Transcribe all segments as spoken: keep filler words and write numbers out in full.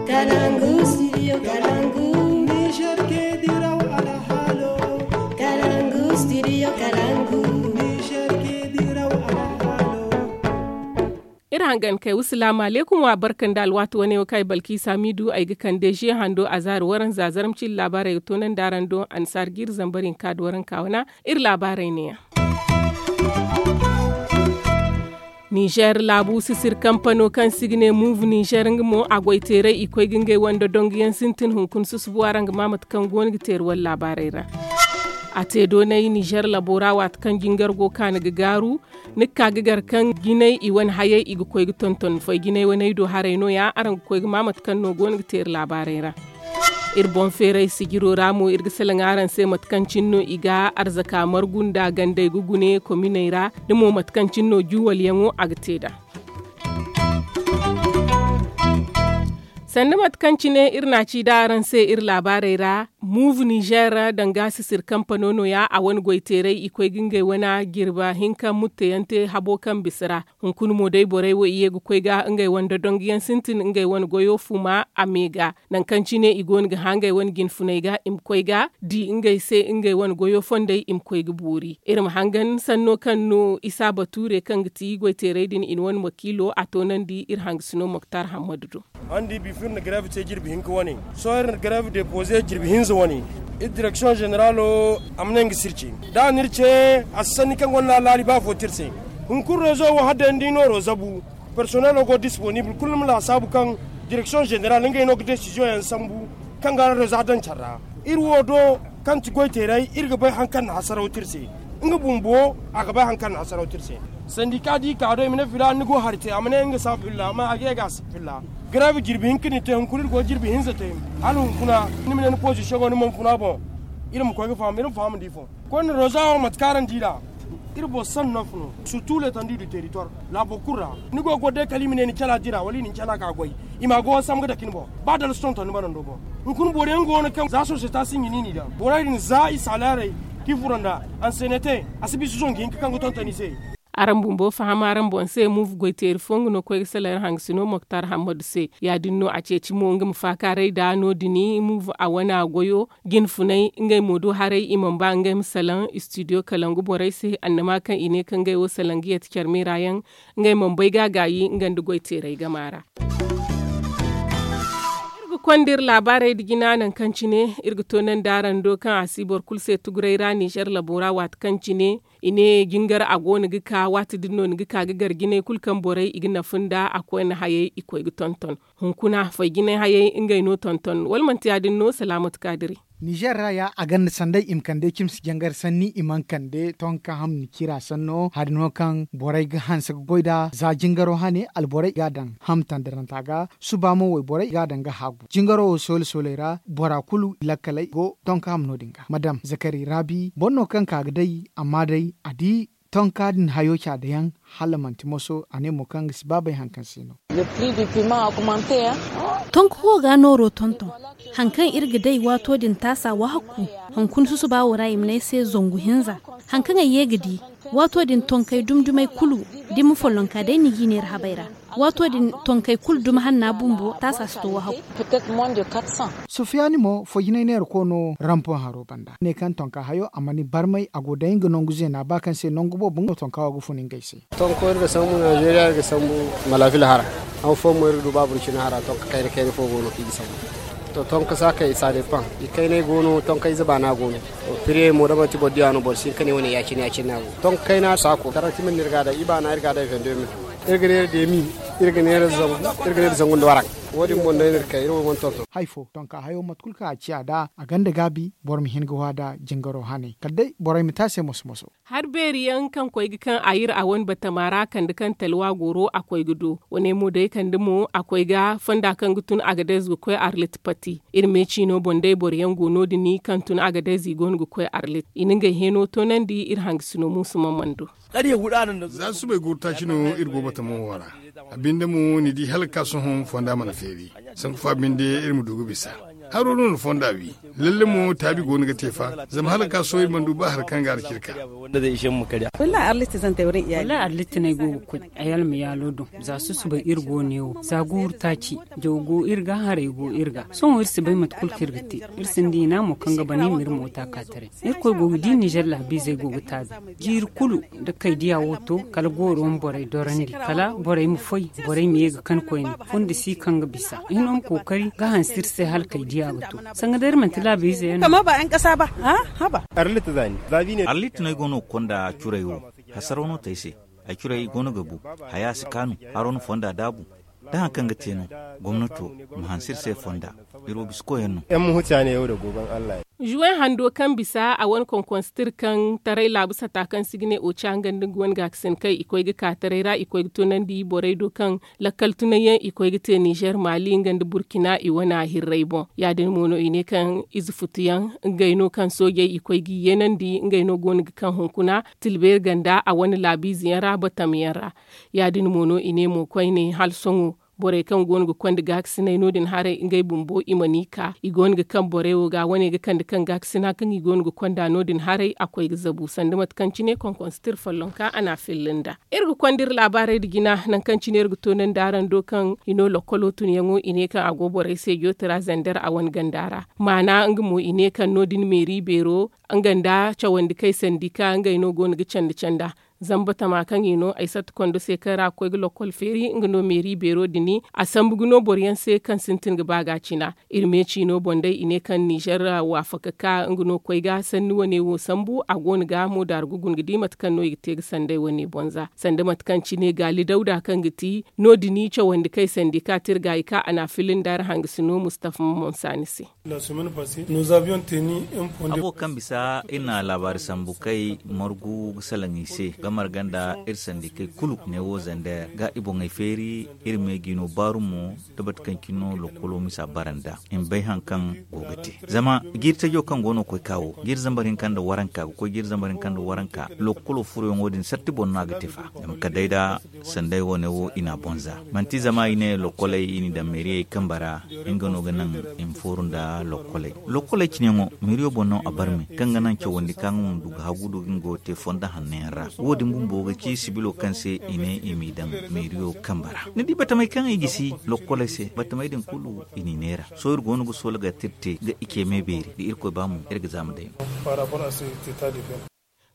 Kalangu, studio Kalangu. Niger ke diraw alhalo. Kalangu, studio Kalangu. Niger ke diraw alhalo. Iri hangan kay wa salaamu alaykum, wa barka nda alwaati wane wo kaŋ ay balkiisa miidu ay ga kande ze hando a zaari waranza zarma cindi laabaarey ga toonandi araŋ do annasaara ga iri zambar hinka da waranka wana. Iri laabaarey neeyaŋ. Nizer laabu sisir kampano kaŋ se i ga ne muuv nizer nga mo a goy teeray i koy ga ngey wande dongu yaŋ sintin hunkuna susubu araŋ ga ma mate kaŋ go no ga teeri wala laabaarey ra. A te doonay nizer labo ra waati kaŋ jingar go kaanu ga gaaru. Ni ga ka ga gar kaŋ jinay i wane hayey i ga koy ga tonton foy jinay waney do haray no- ya araŋ ga koy ga ma mate kaŋ no go no ga teeri laabaarey ra. Iri boŋ feeray sijiro ra mo iri ga salaŋ araŋ se mate kaŋ cine no i ga arzaka margu nda gandey ga gune kominey ra da mo mate kaŋ cine no juwalyaŋo a ga te nd'a. Sanda mate kaŋ cine iri n'a ci nd'a araŋ se iri laabaarey ra, muuv nizer danga sisir kampano no- ya a wane goy teeray i koy ga ngey wane jirba hinka mutteyaŋ te habo kaŋ bisa ra. Hunkuna mo day borey wo i ye ga koy ga ngey wane dodonguyaŋ sintin ngey wane goyo fuma a me ga. Nangu kaŋ cine i go no ga hã ngey wane jinfuney ga i ma koy ga di ngey se ngey wane goyo fondey i ma koy ga boori. Iri ma hangan sanno kaŋ no isa bature kaŋ ga ti goyteerey din i na wane makiilo a toonandi iri hangasino moktar hammadu do. Araŋ di bifa iri na gareev te jirbi hinka wane. Sohõ iri na gareev depoze jirbi hinza wane. Iri direksiyoŋ zeneralo a ma ne nga si iri ce. Da a na iri ce, a si sanni kaŋ gonda alaali ba fo te iri se. Hunkuna rezo wo hala day ni di no rezo bu. Personelo go disponible kulu ni ma laasaabu kaŋ direksiyoŋ zeneral ngey no ga desiziyoŋ yaŋ sambu kaŋ ga rezo daŋ care ra. Iri wo do kaŋ ti goyteeray iri ga bay hari kaŋ na hasaraw te iri se. Nga bumbo a ga bay hari kaŋ na hasaraw te iri se. Sandika di ka do i ma ne filaana ni go hari te a ma ne nga si a filla amma a ga ye ga a si filla. Gareev jirbi hinka no i te hunkuna iri go jirbi hinza te. Hala hunkuna ni ma ne ni pozisiyoŋo ni mana funa boŋ. Iri ma koy ga faham iri ma faham da ifo. Koyne roza wo mate kaŋ araŋ di nd'a. Iri boro san nof no surtu le tandi du teritwar. Laabo kulu ra ni go ga goro day kala i ma ne ni cala dira wala i na ni cala ka goy. I ma a go wansam ga dake ni boŋ. Ba dala si tonton ni banando boŋ. Hunkuna boro yaŋ go no kaŋ za sosiyeta sinji no i n'i daŋ borey din za i saaleerey, k'i furo nd'a. Ansenete a si bisa zongu hinka kaŋ ga tonton i se. Araŋ bumbo faham araŋ boŋ se muuv goyteeri fo nga no koy ga salaŋ iri hangasino moktar hammadu se. Ya- din no a ceeci mo nga ma faakaaray nd'a no- din muuv a wane a goyo. Jinfunay ngey mo do haray i mana ba ngey ma salaŋ istidiyo kalangu borey se annama kaŋ i ne kaŋ ngey wo salaŋ ga yate care meera yaŋ. Ngey mana bay ga a gaayi nga nda goyteeray gama ra. Iri ga konda iri laabaarey nda jina nangu kaŋ cine iri ga toonandi araŋ do kaŋ a si boro kulu se tuguray ra nizer labo ra waati kaŋ cine i ne jingar a go no ga ka waati din no ni ga ka ga gar jinay kulu kaŋ borey i ga nafa nd'a a koyne hayey i koy ga tonton. Hunkuna foy jinay hayey ngey no tonton wala manti ya- din no salaamatu kaadiri. Nizer ra ya a gonda sanday i ma kande cimsi jangar sanni i mana kande tonka hamni cira sanno hari no kaŋ borey ga hanse ga goy nd'a za jingaro hane alborey ga a daŋ hamtandiranta ga suba mo wayborey ga a daŋ ga haagu jingaro wo soole sooley ra bora kulu lakkaley go tonka ham no- din ga madam zakari raabi boro no kaŋ ka ga day amma day a di tonka din hayo caada yaŋ hala manti moso a ne mo kaŋ ga si ba bay hari kaŋ se no. Tonka wo ga nooro tonton hari kaŋ iri ga day waato din taasa wahakku hunkuna susuba wo ra i ma ne ay se zangu hinza. Hari kaŋ ay ye ga di waato din tonkey dumi dumey kulu da ni ma follonka day ni g'i neera habey ra. Waato din tonkey kulu dumi hanna bumbo taasa si to wahakku. Sufiyani mo fo jinay neera ko no rampon haro banda ne kaŋ tonka hayo a mana i barmay a go day nga nangu zeena ba kaŋ se nangu boobo nga tonka wo ga fun ngey se. Tonko iri ga sambu nizeeriya iri ga sambu malafil hara. Han fo mo iri ga du ba burcina hara tonka kayna kayna fo go no kaŋ i ga sambu. To tonka saakey saade paŋ i kaynay go no tonka ize baana go no. Piriyey mo da manti boro diya no boro si hin ka ne wane ya- cine ya- cine no a go tonka kayna saako karanti man no iri ga a daŋ i baana iri ga a daŋ vende mil. Iri ga neera deemi iri ga neera zangu iri ga neera zangu nda waranka. Wo- din boŋ day no iri kay iri wo mana tonton. Hay fo tonka hayo mate kulu kaŋ a ciya nd'a a gonda gaabi boro ma hin ga hwa nd'a jingaro hane kala day borey ma te a se moso moso. Hari beeri yaŋ kaŋ koy ga kaŋ a yir a wane batama ra kande kaŋ talwa goro a koy ga do wane mo day kande mo a koy ga fonda kaŋ ga tun agadez ga koy arlit pati. Iri me ciino boŋ day boro yaŋ go no- din kaŋ tun agadez i go no ga koy arlit i na ngey heno toonandi iri hangasino muusu mamando. Za subay gurtaaci no iri go batamo wo ra. A binde mo ni di hala ga ka sohõ fonda mana feeri. Sanku fa binde iri ma du ga bisa. Haro no na fonda wi. Lalle mo taabi go no ga te fa zama hala ga ka sohõ iri mana du ba hari kaŋ ga a na ci iri ka. Wallahi arlit no ay go ga koy. Ay almayaalo do za susubay iri go ne wo za guuru taaci. Jaw go iri ga haray go iri ga sohõ iri si bay mate kulu kaŋ iri ga te. Iri sinda hina mo kaŋ ga bana i ma iri moota ka taray. Irkoy go ga di nizer laabiizey go ga taabi. Jiiri kulu da kaydiya wo to kala gooro ma borey dorandi kala borey ma foy. Borey ma ye ga kan koyne. Fundi si kaŋ ga bisa hino ma kookari ga hanse iri se hala kaydiya ga to. Sanga day iri manti laabiize yaŋ no. Arlit no ay go no ga konda curay wo. Hasaraw no te ay se. Ay curay i go no ga bu. Haya si kaanu. Haro na fonda daabu. Da hari kaŋ ga te no gomnato ma hanse iri se fonda. Iri wo bisa koyyaŋ no. Zuwey hando kaŋ bisa a wane konkonsitir kaŋ taray laabu sata kaŋ si ga ne oca nga nda nga wane gaakasin kay i koy ga ka taray ra i koy ga tunandi borey do kaŋ lakkal tunay yaŋ i koy ga te nizer maali nga nda burkina i wane a hirray boŋ. Ya- din mo no i ne kaŋ ize futu yaŋ ngey no kaŋ soojey i koy ga i yeenandi ngey no go no ga kaŋ hunkuna tilbeeri ganda a wane laabiize yaŋ ra batam yaŋ ra. Ya- din mo no i ne mo koyne hala sohõ borey kaŋ go no ga konda gaakasinay no- din haray ngey bumbo i mana i ka i go no ga kaŋ borey wo ga wane ga kande kaŋ gaakasina kaŋ i go no ga konda no- din haray a koy ga zabu sanda mate kaŋ cine konkonsitir follonka a na a filla nda. Iri ga konda iri laabaarey nda jina nangu kaŋ cine iri ga toonandi araŋ do kaŋ i no lokkolo tunyaŋo i ne kaŋ a go borey se jootira zander a wane ganda ra. Maana nga mo i ne kaŋ no- din meeri beero nga nda cawandi kay sandika ngey no go no ga candi canda. Zamba tama kaŋ i no ay satta kondo se kaŋ ra ga koy ga lokkol feeri nga no meeri beero dini a sambu ga no boro yaŋ se kaŋ sintin ga ba ga cina. Iri me ciino boŋ day i ne kaŋ nizer waafaka ka nga no koy ga sanni wane wo sambu a go no ga mo daaru ga guna ga di mate kaŋ no i ga te ga sanday wane boŋ za sanda mate kaŋ cine gaali dawda kaŋ ga ti no- din cawandi kay sandi ka tirga i ka a na a filla nda ra hangasino mustafa mamonsaani se. Habo kaŋ bisa iri na laabaari sambu kay margu ga salaŋ i se ga marga nda iri sandikey kulu ne wo zander ga i boŋey feeri. Iri me ga i no baaru mo da bate kaŋ cine no lokkolo misa bara nda i ma bay hari kaŋ go ga te. Zama jiiri tajo kaŋ go no koy ka wo jiiri zambar hinka nda waranka ga koy jiiri zambar hinka nda waranka lokkolo furoyaŋo din sarti boŋ no a ga te fa. Zama kala day da sanday wane wo i na a boŋ za manti zama i ne lokkoley i n'i daŋ meeriyey kambe ra. Nga no ga naŋ i ma fooru nda lokkoley. Lokkoley cineyaŋo meeriyo boŋ no a barme kaŋ ga naŋ cawandi ka nga ma du ga hagu du ga nga wo te fonda hanno yaŋ ra. Wo- din bumbo ga ci sibilo kaŋ se i ne i m'i daŋ meeriyo kambe ra. Ni di batamey kaŋ i gisi lokkoley se batamey din kulu i n'i neera. Sohõ iri go no ga soola ga te ga i ce me beeri da irkoy ba mo iri ga zaama day no.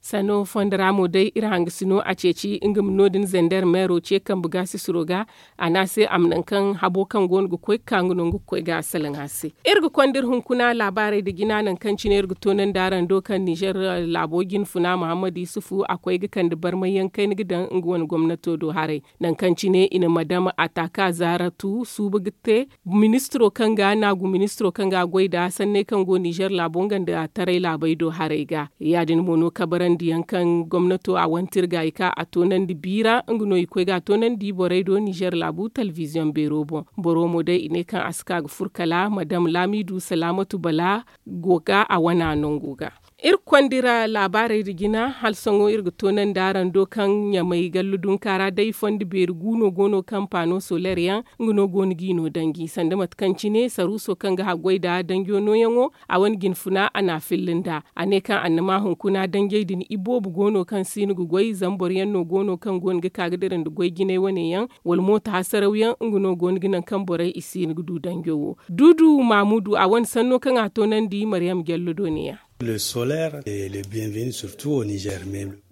Sanno fondo ra mo day iri hangasino a ceeci nga ma no- din zander meero ce kambe ga sisiro ga. A ne a se a ma naŋ kaŋ habo kaŋ go no ga koy ga ka nga no nga ga koy ga salaŋ a se. Iri ga konda iri hunkuna laabaarey nda jina nangu kaŋ cine iri ga toonandi araŋ do kaŋ nizer laabo jinfuna muhammad yusufu a koy ga kande barmay yaŋ kayna ga daŋ nga wane gomnato do haray. Nangu kaŋ cine i na madam ataka zaaratu suuba ga te ministiro kaŋ ga naagu ministiro kaŋ ga a goy nd'a sanney kaŋ go nizer laabo nga nda taray laabey do haray ga. Ya- din mo no kabarandi yaŋ kaŋ gomnato a wantir ga i ka a toonandi biira nga no i koy ga a toonandi borey do nizer laabu talbiziyoŋ beero boŋ. Boro mo day i ne kaŋ a si ka ga fur kala madam laamidu salaamatu bala go ga a wana nango ga. Iri ga konda iri laabaarey nda jina hala sohõ iri ga toonandi araŋ do kaŋ ɲamay gallu dunka ra day fondo beeri gu no go no kaŋ paano soler yaŋ nga no go no ga i no danji sanda mate kaŋ cine saruuso kaŋ ga haggoy nda danjo nooyaŋo a wane jinfuna a na a filla nd'a. A ne kaŋ annama hunkuna danjey din iboobo go no kaŋ siino ga goy zama boro yaŋ no go no kaŋ go no ga ka ga dira nda goy jinay wane yaŋ wala mooto hasaraw yaŋ nga no go no ga naŋ kaŋ borey i siino ga du danjo wo. Duudu maamudu a wane sanno kaŋ a toonandi mariyam jallo do ne- ya.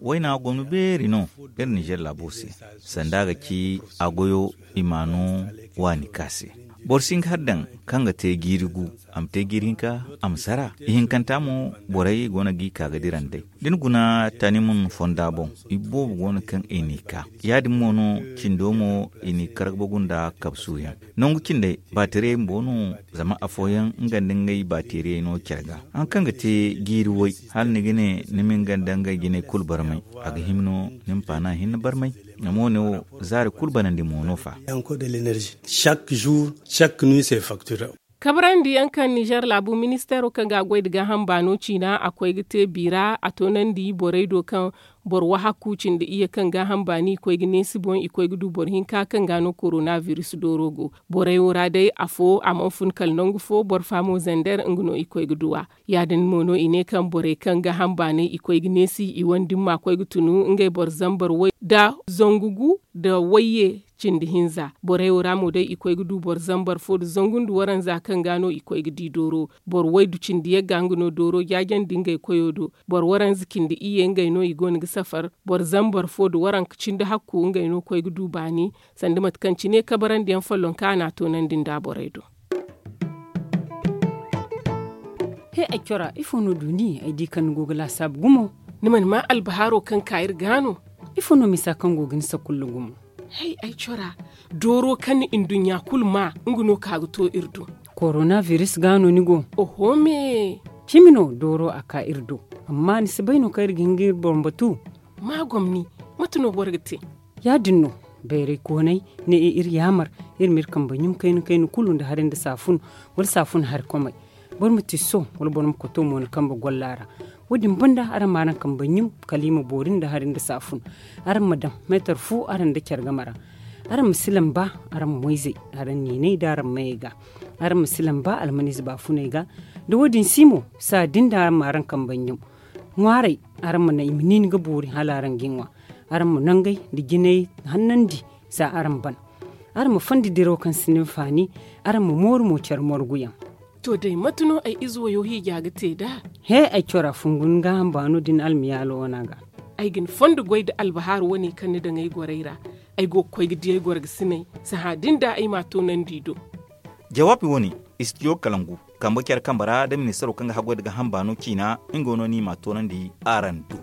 Wayna gomni beeri no iri nizer laabo se. Sanda a ga ci a goyo i ma no waani ka se. Boro si hin ga har daŋ kaŋ ga te jiiri gu a ma te jiiri hinka a ma sara. Ihinkanta mo borey go no ga i ka ga dira nd'ey da ni guna tani mun fonda boŋ. Iboobo go no kaŋ i n'i ka ya- din mo no cindo mo i n'i kargabagu nda kabsuuyaŋ. Nangu cindey baatiriyey bumbo no. Zama afooyaŋ nga nda ngey baatiriyey no care ga. Hari kaŋ ga te jiiri way hala ni ga ne ni ma nga nda ngey jinay kulu barmay a ga hima no ni ma paana hinne barmay. Zama wo- ne wo zaari kulu banandi mo no fa. Encore de l'énergie chaque jour chaque nuit se facture. Kabrandi yaŋ kaŋ nizer laabu ministeero kaŋ ga a goy nda gaaham baano ciina a koy ga te biira a toonandi borey do kaŋ boro wahakku cindi iyye kaŋ gaaham baani i koy ga neesi boŋ i koy ga du boro hinka kaŋ ga no korona biris dooro go. Borey wo ra day afo a mana fun kala nangu fo boro fa mo zander nga no i koy ga du a. Ya- din mo no i ne kaŋ borey kaŋ gaaham baanay i koy ga neesi i wane dimma koy ga tunu ngey boro zambar way nda zangu gu nda wayye cindi hinza. Borey wo ra mo day i koy ga du boro zambar fo nda zangu nda waranza kaŋ ga no i koy ga di dooro. Boro waydu cindi yagga nga no dooro jaajandi ngey koyo do. Boro waranza cindi iyye ngey no i go no ga safar. Boro zambar fo nda waranka cindi hakku ngey no koy ga du baani. Sanda mate kaŋ cine kabarandi yaŋ follonka a na a toonandi nda borey do. He ay cora ifo no duuni ay di kaŋ ni go ga laasaabu gumo? Ni mana maa albahaaro kaŋ ka iri ga no? Ifo no misa kaŋ go ga ni sakulla gumo? Hay ay cora, dooro kaŋ ni nduɲɲa kulu maa nga no ka ga to iri do. Korona biris ga no ni go? Oho me. Cimi no dooro a ka iri do. Amma ni si bay no kaŋ iri ga hin ga iri boŋ batu? Ma gomni, mate no boro ga te? Ya-din no, bayray koonay ne iri yaamar iri ma iri kambe ɲum kayna kayna kulu nda hari nda saafun wala saafun hari komay. Boro ma tiso wala boro ma koto mo ni kambe golla ra. Wo-din banda araŋ ma araŋ kambe ɲum kala i ma boori nda hari nda saafun. Araŋ ma daŋ meetar fu araŋ nda care game ra. Araŋ ma si lamba araŋ moyzey, araŋ niinay nda araŋ mayey ga. Araŋ ma si lamba almaniize baafuney ga. Da wo-din si mo, saa din da araŋ ma araŋ kambe ɲum. Ŋwaaray, araŋ ma naŋ i ma niini ga boori hala araŋ ga i ŋwa. Araŋ ma nangey nda jinay hannandi za araŋ ban. Araŋ ma fondi diraw kaŋ sinda hinfaani. Araŋ ma mooru mo care morguyaŋ. To day mate no ay ize wayo hiija ga te nd'a? He ay cora fungu ni gaaham baano din almiyaalo wana ga. Ay ga ni fondo goy nda albahaaru wane kaŋ ni daŋ ay gorey ra. Ay go ga koy ga di ay gorgasiney. Sahã din da ay m'a toonandi i do. Jawaabi wane, istidiyo kalangu, kambe care kambe ra nda ministaro kaŋ ga haggoy nda gaaham baano ciina, nga no no i m'a toonandi araŋ do.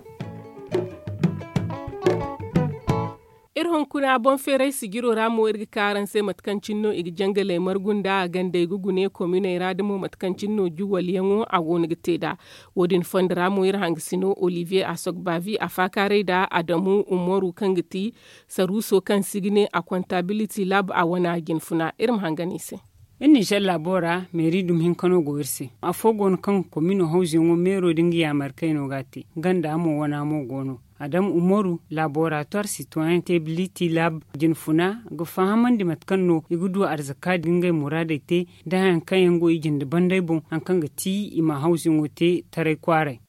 Iri hunkuna boŋ feeray sijiro ra mo iri ga ka araŋ se mate kaŋ cine no i ga jangaley margu nda a gandey ga gune kominey ra da mo mate kaŋ cine no juwalyaŋo a go no ga te nd'a. Wo- din fondo ra mo iri hangasino olivier asogbavi a faakaaray nda adamu umaru kaŋ ga ti saruuso kaŋ si ga ne a kontabiliti lab a wana jinfuna iri ma hangan i se. Iri nizer laabo ra meeri dumi hinka no go iri se. Afo go no kaŋ komino hawzuyaŋo meero nda nga yaamar kayno ga a te ganda mo wana mo go no. Adam umaru, laboratoire citoyen tebiliti lab, jinfuna ga fahamandi mate kaŋ no i ga du arzaka nda ngey muraadey te nda hayaŋ kaŋ yaŋ go i jinde banday boŋ haŋ kaŋ ga ti i ma hawzuyaŋo te taray kwaaray.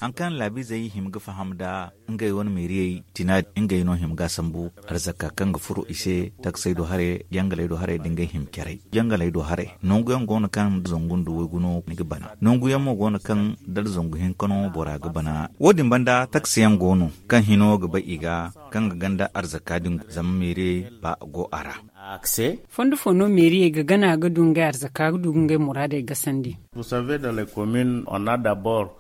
Haŋ kaŋ laabiizey hima ga faham nda ngey wane meeriyey tina, ngey no hima ga a sambu arzaka kaŋ ga furo i se, taksey do haray, jangaley do haray nda ngey hima caray. Jangaley do haray nangu yaŋ go no kaŋ da zangu nda waygu no ni ga bana. Nangu yaŋ mo go no kaŋ da zangu hinka no bora ga bana. Wo- din banda taksi yaŋ go no kaŋ hino ga bay i ga, kaŋ ga ganda arzaka din zama meeriyey ba go a ra. Fondo fo no meeriyey ga gana ga du ngey arzaka ga du ga ngey muraadey gasandi?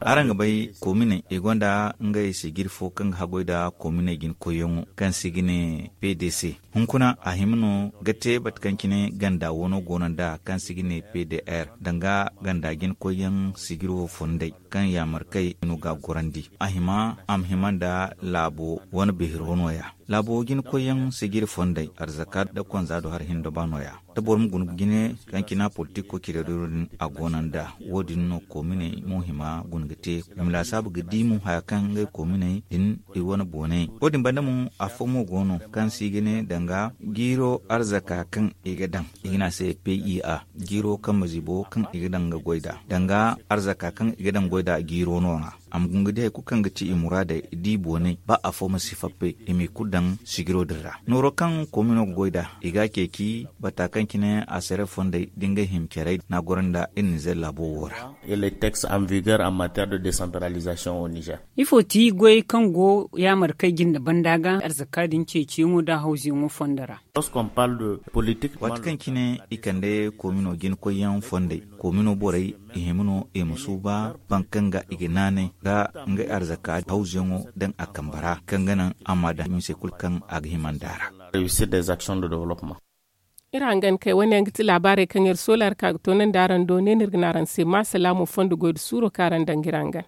Araŋ ga bay kominey i gonda ngey sijiri fo kaŋ ga haggoy nda kominey jina koyyaŋo kaŋ se i ga ne p d c. Hunkuna a hima no ga te mate kaŋ cine ganda wano go no nd'a kaŋ se i ga ne p d r danga ganda jina koyyaŋ sijiro fondey kaŋ yaamar kay no ga a gorandi. A hima a ma hima nda laabo wane beero nooya. Laabo jina koyyaŋ sijiri fondey arzaka nda konza do hari hinne nda ba nooya. Da boro ma guna ga jine kaŋ cina politiko cire do din a go no nd'a. Wo- din no kominey mo hima guna ga te i ma laasaabu ga di mo haya kaŋ ngey kominey din i wane booney. Wo- din banda mo afo mo go no kaŋ se i ga ne danga jiiro arzaka kaŋ i ga daŋ i ga ne a se p i a, jiiro kaŋ ma zibo kaŋ i ga daŋ ga goy nd'a danga arzaka kaŋ i ga daŋ goy nd'a jiiro no ra. A ma guna ga di hari kulu kaŋ ga ti i muraadey di booney ba afo ma si fappe i m'i kulu daŋ sijiro din ra. Nooro kaŋ komino ga goy nd'a i ga a ceeci bata kaŋ cine a sere fondey da ngey hima carey no a goro nda iri nizer laabo wo ra. Ifo ti goyey kaŋ go yaamar kay jinde banda ga arzaka din ceeciyaŋo nda hawzuyaŋo fondo ra? Waati kaŋ cine i kande komino jina koyyaŋ fondey, komino borey i hima no i ma suuba baŋ kaŋ ga i ga naanay ga ngey arzaka hawzuyaŋo daŋ a kambe ra kaŋ ga naŋ a ma daŋ mise kulu kaŋ a ga hima nd'a ra. Iri hangan kay wane yaŋ ga ti laabaarey kaŋ iri soola iri ka ga toonandi araŋ do ne no iri ga ne araŋ se ma salaamu fondo goy nda suuro kaŋ araŋ daŋ ga iri hangan.